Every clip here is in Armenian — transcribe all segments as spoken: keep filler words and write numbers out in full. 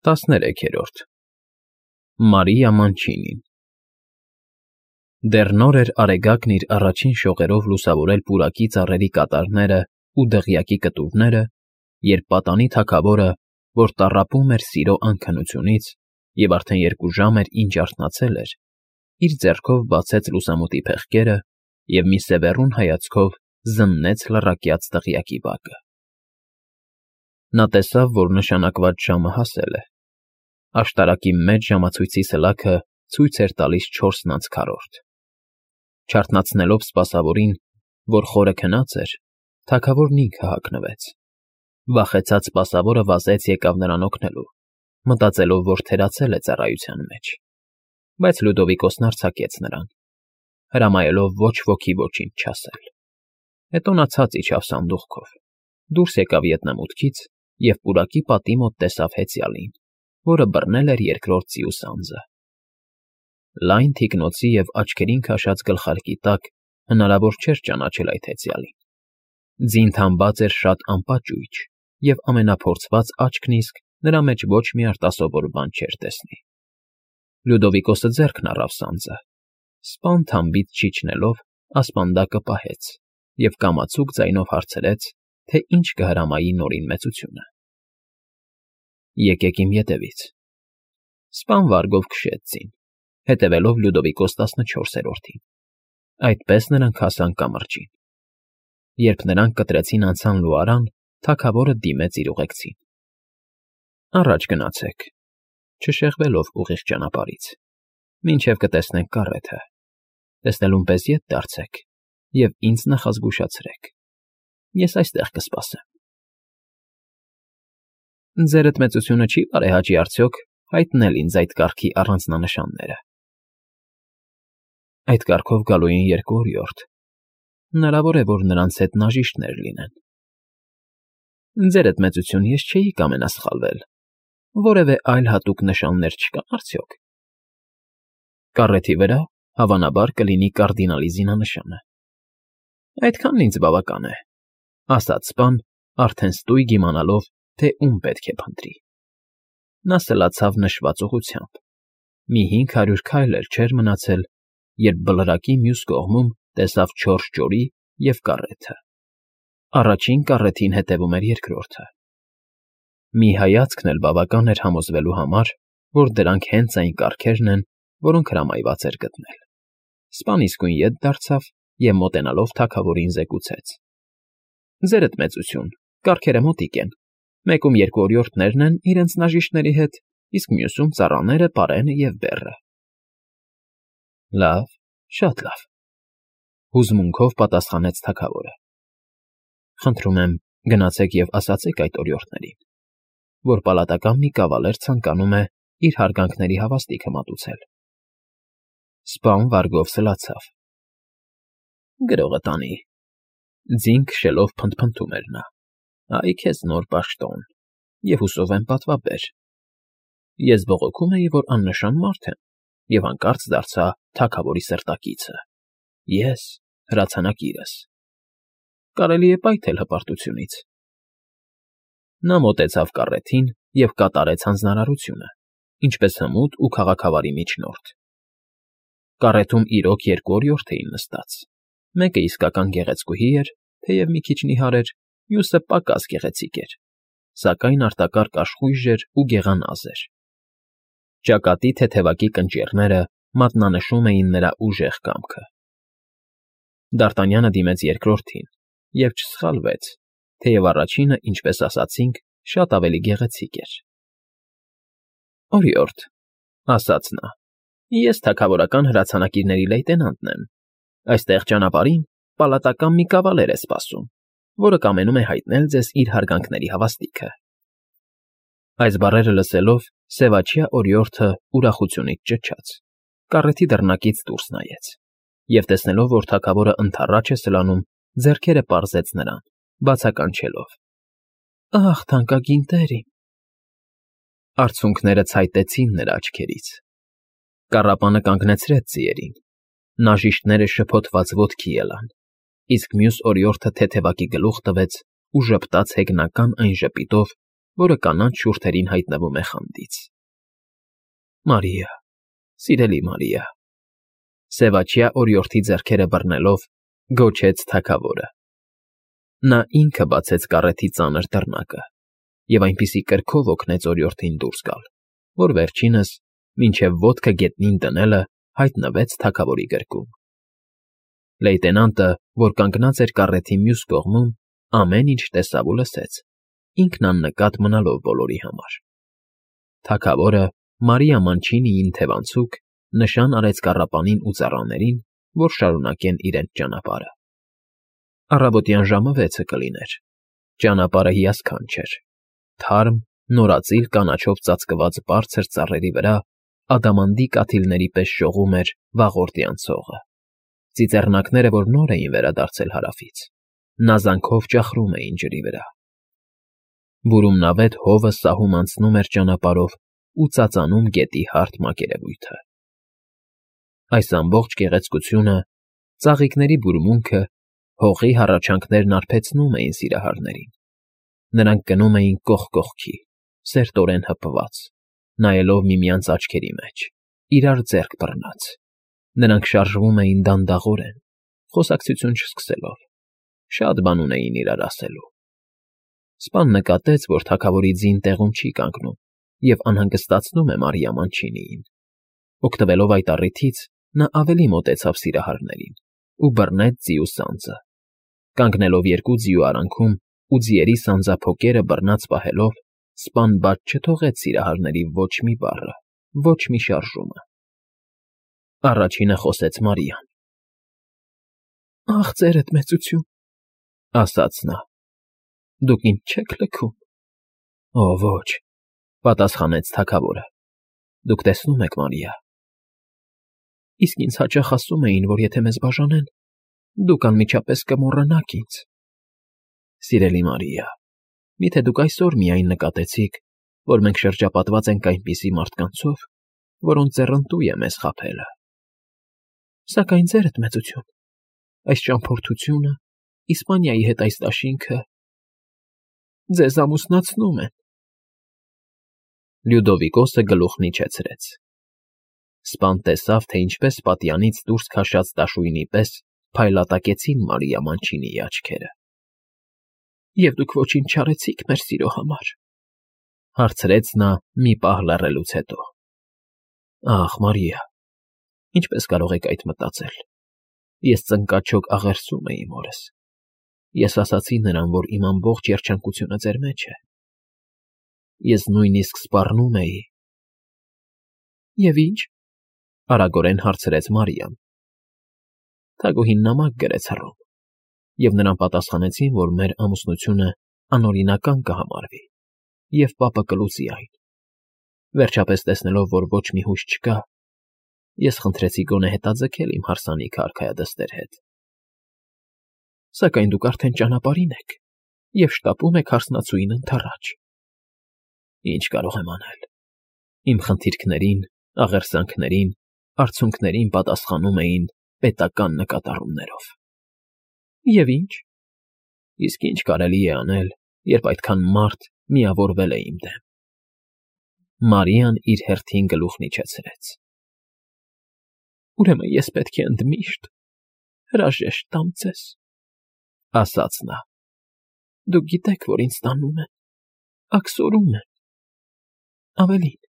տասներեքերորդ Մարիա Մանչինին Դեռ նոր էր Արեգակն իր առաջին շողերով լուսավորել պուրակի ծառերի կատարները ու դղյակի կտուրները, երբ պատանի թագավորը, որ տառապում էր սիրո անքնությունից և արդեն երկու ժամ էր, ինչ արթնացել էր, իր ձեռքով բացեց լուսամուտի փեղկերը և մի սևեռուն հայացքով զննեց լռակյաց դղյակի բակը. Նա տեսավ, որ նշանակված ժամը հասել է. աշտարակի մեծ ժամացույցի սլաքը ցույց էր տալիս չորսն անց քառորդ. Չարթնացնելով սպասավորին, որ խորը քնած էր, թագավորն ինքը հագնվեց. վախեցած սպասավորը վազեց եկավ նրան օգնելու, մտածելով, որ թերացել է ծառայության մեջ, բայց Լյուդովիկոսն արձակեց նրան, հրամայելով ոչ ոքի ոչինչ չասել. հետո նա ցած իջավ սանդուղքով, դուրս եկավ ետնամուտքից և պուրակի պատի մոտ տեսավ հեծյալին, որը բռնել էր երկրորդ ծիուս անձը. լայն թիկնոցի և աչքերին քաշած գլխարկի տակ հնարավոր չէր ճանաչել այդ հեծյալին. ձին թամբած էր շատ անպաճույճ և ամենափորձված աչքն իսկ նրա մեջ ոչ մի արտասովոր բան չէր տեսնի. Լյուդովիկոսը ձեռքն առավ սանձը, սպան թամբից չիջնելով ասպանդակը պահեց և կամացուկ ձայնով հարցրեց, թե ինչ կհրամայի Նորին մեծությունը. Եկեք իմ ետևից. սպան վարգով քշեց ձին, հետևելով Լյուդովիկոս տասնչորսերորդին. այդպես նրանք հասան կամրջին. երբ նրանք կտրեցին անցան լուարան, թագավորը դիմեց իր ուղեկցին. առաջ գնացեք, չշեղվելով ուղիղ ճանապարհից, մինչև կտեսնենք կառեթը, տեսնելուն պես ետ դարձեք և ինձ նախազգուշացրեք, ես այստեղ կսպասեմ։ Ձերդ մեծությունը չի բարեհաճի արդյոք հայտնել ինձ այդ կարգի առանձնանշանները։ Այդ կարգով գալու են երկու օրիորդ, հնարավոր է, որ նրանց հետ նաժիշտներ լինեն։ Ձերդ մեծություն, ես չէի կամենասխալվել, որևէ այլ հատուկ նշաններ չկան արդյոք։ Կառեթի վրա, հավանաբար, կլինի կարդինալի զինանշանը։ Այդքանն ինձ բավական է, ասաց սպան, արդեն ստույգ իմանալով, թե ում պետք է փնտրի։ Նա սլացավ նշված ուղղությամբ. մի հինգ հարյուր քայլ էլ չէր մնացել, երբ բլրակի մյուս կողմում տեսավ չորս ճորի և կառեթը. առաջին կառեթին հետևում էր երկրորդը։ Մի հայացքն էլ բավական էր համոզվելու համար, որ դրանք հենց այն կառքերն են, որոնք հրամայված էր գտնել։ Սպան իսկույն ետ դարձավ և մոտենալով թագավորին զեկուցեց. Ձերդ մեծություն, կառքերը մոտիկ են, մեկում երկու օրիորդներն են իրենց նաժիշտների հետ, իսկ մյուսում ծառաները, պարենը և բեռը։ Լավ, շատ լավ, հուզմունքով պատասխանեց թագավորը։ Խնդրում եմ, գնացեք և ասացեք այդ օրիորդներին, որ պալատական մի կավալեր ցանկանում է իր հարգանքների հավաստիքը մատուցել։ Սպան վարգով սլացավ. Գրողը տանի, ձին քշելով փնթփնթում էր նա. Այ քեզ նոր պաշտոն, և հուսով եմ պատվաբեր։ Ես բողոքում էի, որ աննշան մարդ եմ, և հանկարծ դարձա թագավորի սրտակիցը, ես հրացանակիրս։ Կարելի է պայթել հպարտությունից։ Նա մոտեցավ կառեթին և կատարեց հանձնարարությունը, ինչպես հմուտ ու քաղաքավարի միջնորդ։ Կառեթում իրոք երկու օրիորդ էին նստած, մեկը իսկական գեղեցկուհի էր, թեև մի քիչ նիհար էր, մյուսը պակաս գեղեցիկ էր, սակայն արտակարգ աշխույժ էր ու գեղանազ էր։ Ճակատի թեթևակի կնճիռները մատնանշում էին նրա ուժեղ կամքը։ Դարտանյանը դիմեց երկրորդին և չսխալվեց, թեև առաջինը, ինչպես ասացինք, շատ ավելի գեղեցիկ էր։ Օրիորդ, ասաց նա, ես թագավորական հրացանակիրների լեյտենանտն եմ, այստեղ ճանապարհին պալատական մի կավալեր է սպասում, որը կամենում է հայտնել ձեզ իր հարգանքների հավաստիքը։ Այս բառերը լսելով, սևաչյա օրիորդը ուրախությունից ճչաց, կառեթի դռնակից դուրս նայեց և տեսնելով, որ թագավորը ընդառաջ է սլանում, ձեռքերը պարզեց նրան, բացականչելով. Ախ, թանկագին տեր իմ… Արցունքները ցայտեցին նրա աչքերից։ Կառապանը կանգնեցրեց ձիերին, նաժիշտները շփոթված ոտքի ելան, իսկ մյուս օրիորդը թեթևակի գլուխ տվեց ու ժպտաց հեգնական այն ժպիտով, որը կանաչ շուրթերին հայտնվում է խանդից։ Մարիա, սիրելի Մարիա, սևաչյա օրիորդի ձեռքերը բռնելով, գոչեց թագավորը։ Նա ինքը բացեց կառեթի ծանր դռնակը և այնպիսի կրքով օգնեց օրիորդին դուրս գալ, որ վերջինս, մինչև ոտքը գետնին դնելը, հայտնվեց թագավորի գրկում։ Լեյտենանտը, որ կանգնած էր կառեթի մյուս կողմում, ամեն ինչ տեսավ ու լսեց, ինքն աննկատ մնալով բոլորի համար։ Թագավորը Մարիա Մանչինիին թևանցուկ նշան արեց կառապանին ու ծառաներին, որ շարունակեն իրենց ճանապարհը։ Առավոտյան ժամը վեցը կլիներ։ Ճանապարհը հիասքանչ էր։ Թարմ, նորածիլ կանաչով ծածկված բարձր ծառերի վրա ադամանդի կաթիլների պես շողում էր վաղորդյան ցողը։ Ծիծեռնակները, որ նոր էին վերադարձել հարավից, նազանքով ճախրում էին ջրի վրա։ Բուրումնավետ հովը սահում անցնում էր ճանապարհով ու ծածանում գետի հարթ մակերևույթը։ Այս ամբողջ գեղեցկությունը, ծաղիկների բուրմունքը, հողի հառաչանքներն արբեցնում էին սիրահարներին։ Նրանք գնում էին կողք կողքի, սերտորեն հպված, նայելով միմյանց աչքերի մեջ, իրար ձեռք բռնած։ Նրանք շարժվում էին դանդաղորեն, խոսակցություն չսկսելով, շատ բան ունեին իրար ասելու։ Սպան նկատեց, որ թագավորի ձին տեղում չի կանգնում և անհանգստացնում է Մարիա Մանչինիին։ Օգտվելով այդ առիթից, նա ավելի մոտեցավ սիրահարներին ու բռնեց ձիու սանձը։ Կանգնելով երկու ձիու արանքում ու ձիերի սանձափոկերը բռնած պահելով, սպան բաց չթողեց սիրահարների ոչ մի բառը, ոչ մի շարժումը։ Առաջինը խոսեց Մարիան։ «Ախ, ձերդ մեծություն», ասաց նա, «դուք ինձ չեք լքում»։ «Օ, ոչ», պատասխանեց թագավորը, «դուք տեսնում եք, Մարիա»։ «Իսկ ինձ հաճախ ասում էին, որ եթե մեզ բաժանեն, դուք անմիջապես կմոռանաք ինձ»։ «Սիրելի Մարիա, միթե դուք այսօր միայն նկատեցիք, որ մենք շրջապատված ենք այնպիսի մարդկանցով, որոնց ձեռնտու է մեզ խաբելը։ Սակայն, ձերդ մեծություն, այս ճամփորդությունը, Իսպանիայի հետ այս դաշինքը ձեզ ամուսնացնում են»։ Լյուդովիկոսը գլուխն իջեցրեց։ Սպան տեսավ, թե ինչպես պատյանից դուրս քաշած դաշույնի պես փայլատակեցին Մարիա Մանչինիի աչքերը։ «Եվ դուք ոչինչ չարեցիք մեր սիրո համար», հարցրեց նա մի պահ լռելուց հետո։ «Ախ, Մարիա, ինչպես կարող եք այդ մտածել։ Ես ծնկաչոք աղերսում էի մորս։ Ես ասացի նրան, որ իմ ամբողջ երջանկությունը ձեր մեջ է։ Ես նույնիսկ սպառնում էի»։ «Եվ ի՞նչ», արագորեն հարցրեց Մարիան։ «Թագուհին նամակ գրեց հռոմ, և նրան պատասխանեցին, որ մեր ամուսնությունը անօրինական կհամարվի, և պապը կլուծի այն։ Վերջապես տեսնելով, որ ոչ մի հույս չկա, ես խնդրեցի գոնե հետաձգել իմ հարսանիքը արքայադստեր հետ։ Սակայն դուք արդեն ճանապարհին եք և շտապում եք հարսնացուին ընդառաջ։ Ինչ կարող եմ անել։ Իմ խնդիրքներին, աղերսանքներին, արցունքներին պատասխանում էին պետական նկատառումներով»։ «Եվ ի՞նչ»։ «Իսկ ինչ կարելի է անել, երբ այդքան մարդ միավորվել է իմ դեմ»։ Մարիան իր հերթին գլուխն իջեցրեց։ «Ուրեմն ես պետք է ընդմիշտ հրաժեշտ տամ ձեզ», ասաց նա։ «Դուք գիտեք, որ ինձ տանում են, աքսորում են։ Ավելին,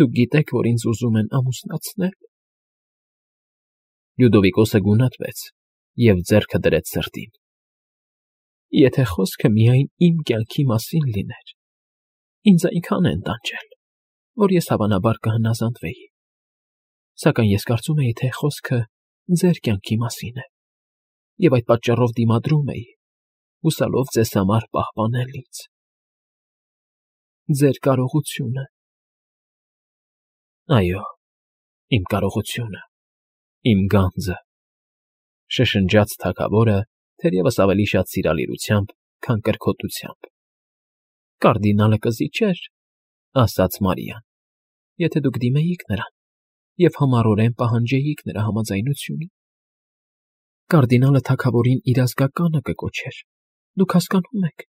դուք գիտեք, որ ինձ ուզում են ամուսնացնել»։ Լյուդովիկոսը գունատվեց և ձեռքը դրեց սրտին։ «Եթե խոսքը միայն իմ կյանքի մասին լիներ, ինձ այնքան են տանջել, որ ես հավանաբար կհնազանդվեի։ Սակայն ես կարծում էի, թե խոսքը ձեր կյանքի մասին է, և այդ պատճառով դիմադրում էի, հուսալով ձեզ համար պահպանել ինձ։ Ձեր կարողությունը»։ «Այո, իմ կարողությունը, իմ գանձը», շշնջաց թագավորը, թերևս ավելի շատ սիրալիրությամբ, քան կրքոտությամբ։ «Կարդինալը կզիջեր», ասաց Մարիան, «եթե դուք դիմեիք նրան և համառորեն պահանջեիք նրա համաձայնությունը։ Կարդինալը թագավորին իր ազգականը կկոչեր, դուք հասկանում եք։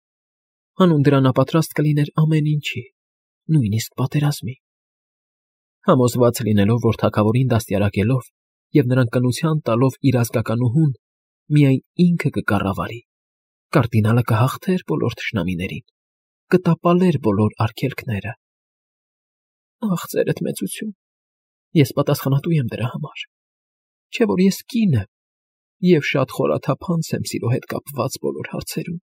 հանուն դրա նա պատրաստ կլիներ ամեն ինչի, նույնիսկ պատերազմի։ Համոզված լինելով, որ թագավորին դաստիարակելով և նրան կնության տալով իր ազգականուհուն, միայն ինքը կկառավարի, կարդինալը կհաղթեր բոլոր թշնամիներին, կտապալեր բոլոր արգելքները։ Ախ, ձերդ մեծություն, ես պատասխանատու եմ դրա համար, չէ՞ որ ես կին եմ և շատ խորաթափանց եմ սիրո հետ կապված բոլոր հարցերում։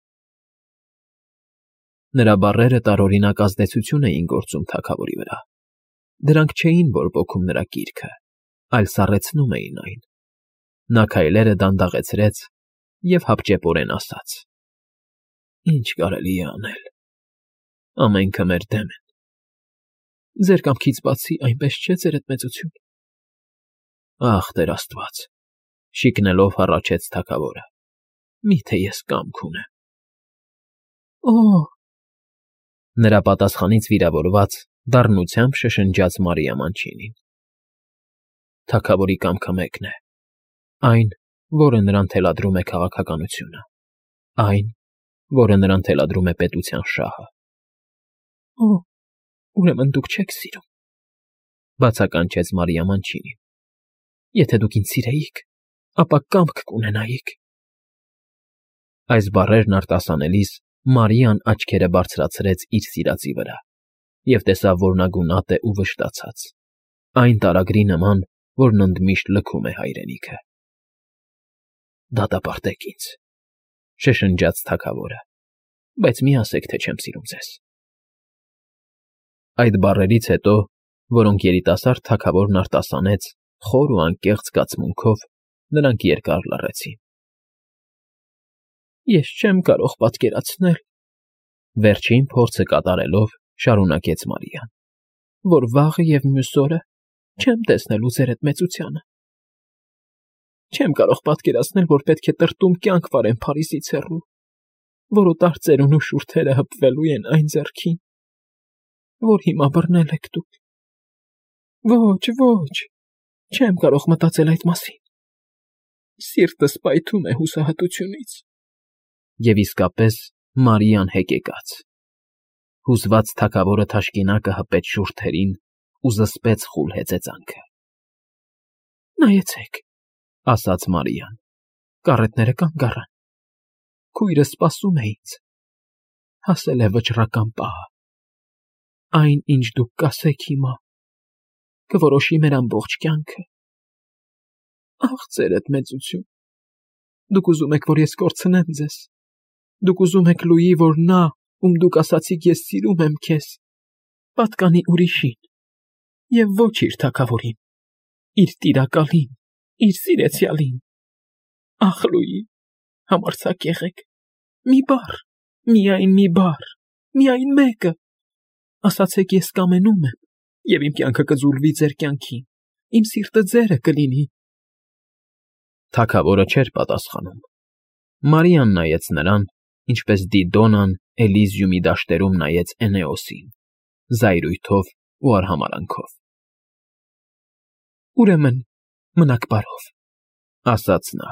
Նրա բառերը տարօրինակ ազդեցություն էին գործում թագավորի վրա։ Դրանք չէին բորբոքում նրա կիրքը, այլ սառեցնում էին այն։ Նա քայլերը դանդաղեցրեց և հապճեպորեն ասաց. «Ինչ կարելի է անել։ Ամենքը մեր դեմ են։ Ձեր կամքից բացի այնպես չէ, ձերդ մեծություն»։ Ախ, Տեր Աստված, շիկնելով հառաչեց թագավորը, միթե ես կամք ունեմ։ Օ՜։ Նրա պատասխանից վիրավորված դառնությամբ շշնջաց Մարիամ-անչինին։ Թագավորի կամքը մեկն է, այն, որը նրան թելադրում է քաղաքականությունը, այն, որը նրան թելադրում է պետության շահը։ Օ՜, ուրեմն դուք չեք սիրում, բացականչեց Մարիամ-անչինին։ Եթե դուք ինձ սիրեիք, ապա կամք կունենայիք։ Այս բառերն արտասանելիս Մարիան աչքերը բարձրացրեց իր սիրածի վրա և տեսավ, որ նա գունատ է ու վշտացած, այն տարագրի նման, որն ընդմիշտ լքում է հայրենիքը։ Դատապարտեք ինձ, շշնջաց թագավորը, բայց մի ասեք, թե չեմ սիրում ձեզ։ Այդ բառերից հետո, որոնք երիտասարդ թագավորն արտասանեց խոր ու անկեղծ զգացմունքով, նրանք երկար լռեցին։ Ես չեմ կարող պատկերացնել, վերջին փորձը կատարելով շարունակեց Մարիան, որ վաղը և մյուս օրը չեմ տեսնելու ձերդ մեծությանը։ Չեմ կարող պատկերացնել, որ պետք է տրտում կյանք վարեմ Փարիզից հեռու, որոտար ծերունու շուրթերը հպվելու են այն ձեռքին, որ հիմա բռնել եք դուք։ Ոչ, ոչ, չեմ կարող մտածել այդ մասին։ Սիրտս պայթում է հուսահատությունից։ Եվ իսկապես Մարիան հեկեկաց։ Հուզված թագավորը թաշկինակը հպեց շուրթերին ու զսպեց խուլ հեծեծանքը։ Նայեցեք, ասաց Մարիան, կառետները կանգ առան։ Քույրը սպասում է ինձ։ Հասել է վճռական պահը։ Այն, ինչ դուք կասեք հիմա, կորոշի մեր ամբողջ կյանքը։ Ախ, ձերդ մեծություն, դուք ուզում եք, որ ես կորցնեմ ձեզ։ Դուք ուզում եք լուի, որ նա, ում դուք ասացիք ես սիրում եմ քեզ, պատկանի ուրիշին, և ոչ իր թագավորին, իր տիրակալին, իր սիրեցյալին։ Ախ, լուի, համարձակ եղեք, մի բառ, միայն մի բառ, միայն մեկը։ Ասացեք ես կամենում եմ, և իմ կյանքը կձուլվի ձեր կյանքին, իմ սիրտը ձերը կլինի։ Թագավորը չէր պատասխանում։ Մարիան նայեց նրան, ինչպես Դիդոնան Էլիզիումի դաշտերում նայեց Էնեոսին, զայրույթով ու արհամարհանքով։ Ուրեմն մնաք բարով, ասաց նա։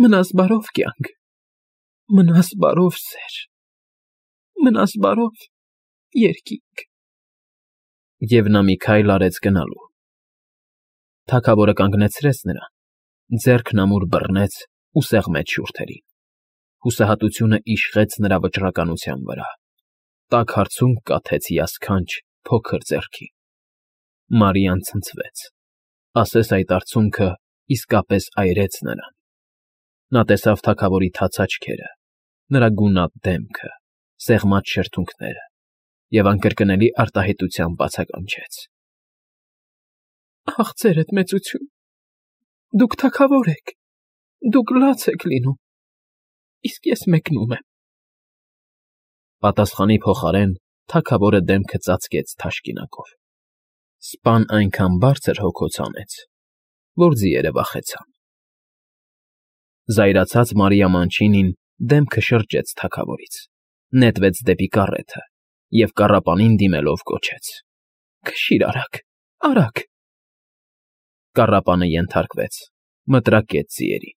Մնաս բարով կյանք, մնաս բարով սեր, մնաս բարով երկինք։ Եվ նա մի քայլ արեց գնալու։ Թագավորը կանգնեցրեց նրան, ձեռքն ամուր բռնեց ու սեղմեց շուրթերին։ Հուսահատությունը իշխեց նրա վճռականության վրա, տաք հարցունք կաթեց հիասքանչ փոքր ձեռքին։ Մարիան ցնցվեց, ասես այդ արցունքը իսկապես այրեց նրան։ Նա տեսավ թագավորի թաց աչքերը, նրա գունատ դեմքը, սեղմած շրթունքները և անկրկնելի արտահայտությամբ բացականչեց. Ախ, ձերդ մեծություն, դուք թագավոր եք, դուք լաց եք լինում, իսկ ես մեկնում եմ։ Պատասխանի փոխարեն թագավորը դեմքը ծածկեց թաշկինակով։ Սպան այնքան բարձր հոգոց հանեց, որ ձիերը վախեցան։ Զայրացած Մարիամ-անչինին դեմքը շրջեց թագավորից, նետվեց դեպի կառեթը և կառապանին դիմելով կոչեց. Քշի՛ր արագ, արագ։ Կառապանը ենթարկվեց, մտրակեց ձիերին,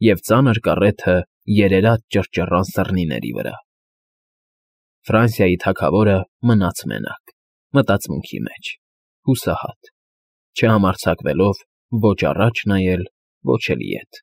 և ծանր կառեթը երերաց ճռճռան սռնիների վրա։ Ֆրանսիայի թագավորը մնաց մենակ, մտածմունքի մեջ, հուսահատ, չհամարձակվելով ոչ առաջ նայել, ոչ էլ ետ։